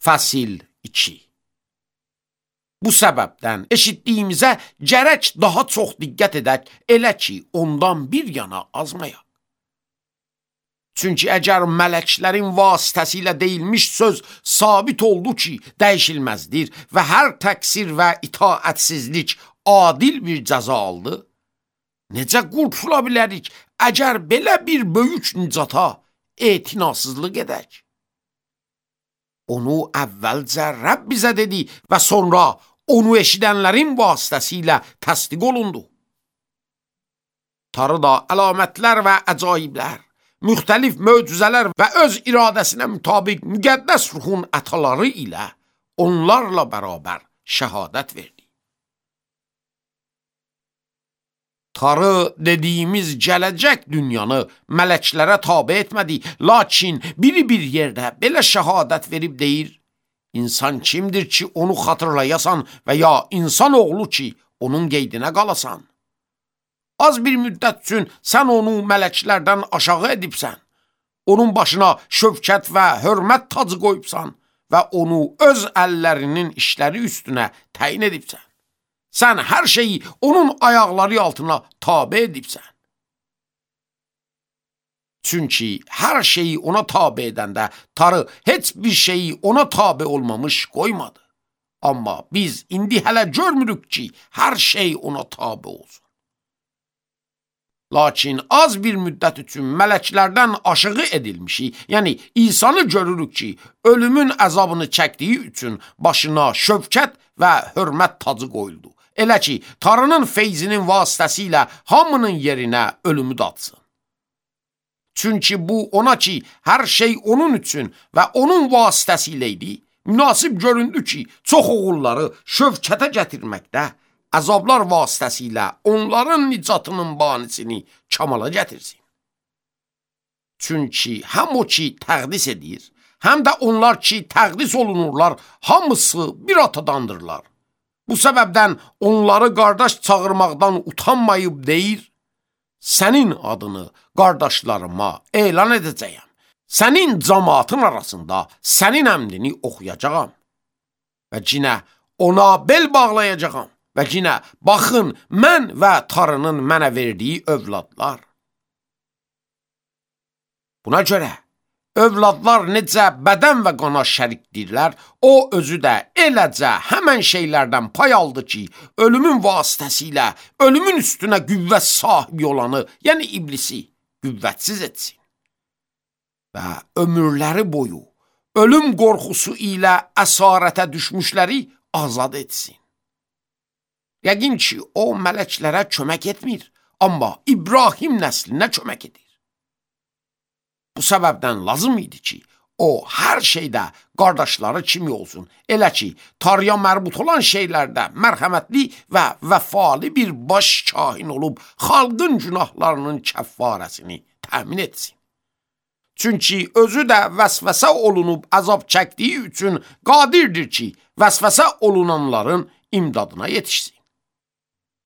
Fəsil 2. Bu səbəbdən eşitdiyimizə gərək daha çox diqqət edək, elə ki, ondan bir yana azmayaq. Çünki əgər mələklərin vasitəsilə deyilmiş söz sabit oldu ki, dəyişilməzdir və hər təqsir və itaətsizlik adil bir cəza aldı, necə qurtula bilərik əgər belə bir böyük nicata etinasızlıq edək? Onu əvvəlcə Rəbb bizə dedi və sonra onu eşidənlərin vasitəsilə təsdiq olundu. Tarıda əlamətlər və əcaiblər, müxtəlif möcüzələr və öz iradəsinə mütabiq müqəddəs ruhun ətaları ilə onlarla bərabər şəhadət verdi. Tarı dediyimiz gələcək dünyanı mələklərə tabe etmədi, lakin biri bir yerdə belə şəhadət verib deyir, insan kimdir ki, onu xatırlayasan və ya insan oğlu ki, onun qeydinə qalasan? Az bir müddət üçün sən onu mələklərdən aşağı edibsən, onun başına şövkət və hörmət tacı qoyubsan və onu öz əllərinin işləri üstünə təyin edibsən. Sən hər şeyi onun ayaqları altına tabe edibsən. Çünki hər şeyi ona tabe edəndə Tarı heç bir şeyi ona tabe olmamış qoymadı. Amma biz indi hələ görmürük ki, hər şey ona tabe olsun. Lakin az bir müddət üçün mələklərdən aşağı edilmişi, yəni İsa'nı görürük ki, ölümün əzabını çəkdiyi üçün başına şövkət və hörmət tacı qoyuldu. Elə ki, Tarının feyzinin vasitəsilə hamının yerinə ölümü datsın. Çünki bu ona ki, hər şey onun üçün və onun vasitəsilə idi, münasib göründü ki, çox oğulları şövkətə gətirməkdə, əzablar vasitəsilə onların nicatının banisini kamala gətirsin. Çünki həm o ki təqdis edir, həm də onlar ki təqdis olunurlar, hamısı bir atadandırlar. Bu səbəbdən onları qardaş çağırmaqdan utanmayıb deyir, sənin adını qardaşlarıma elan edəcəyəm. Sənin cəmaatın arasında sənin əmrini oxuyacağam. Və cinə ona bel bağlayacağam. Və cinə baxın, mən və Tarının mənə verdiyi övladlar. Buna görə övladlar necə bədən və qana şərikdirlər, o özü də eləcə həmən şeylərdən pay aldı ki, ölümün vasitəsilə ölümün üstünə qüvvət sahibi olanı, yəni iblisi, qüvvətsiz etsin. Və ömürləri boyu ölüm qorxusu ilə əsarətə düşmüşləri azad etsin. Yəqin ki, o mələklərə kömək etmir, amma İbrahim nəslinə kömək edir. Bu səbəbdən lazım idi ki, o hər şeydə qardaşları kimi olsun. Elə ki, Tarıya mərbut olan şeylərdə mərhəmətli və vəfalı bir baş kahin olub, xalqın günahlarının kəffarəsini təmin etsin. Çünki özü də vəsvəsə olunub əzab çəkdiyi üçün qadirdir ki, vəsvəsə olunanların imdadına yetişsin.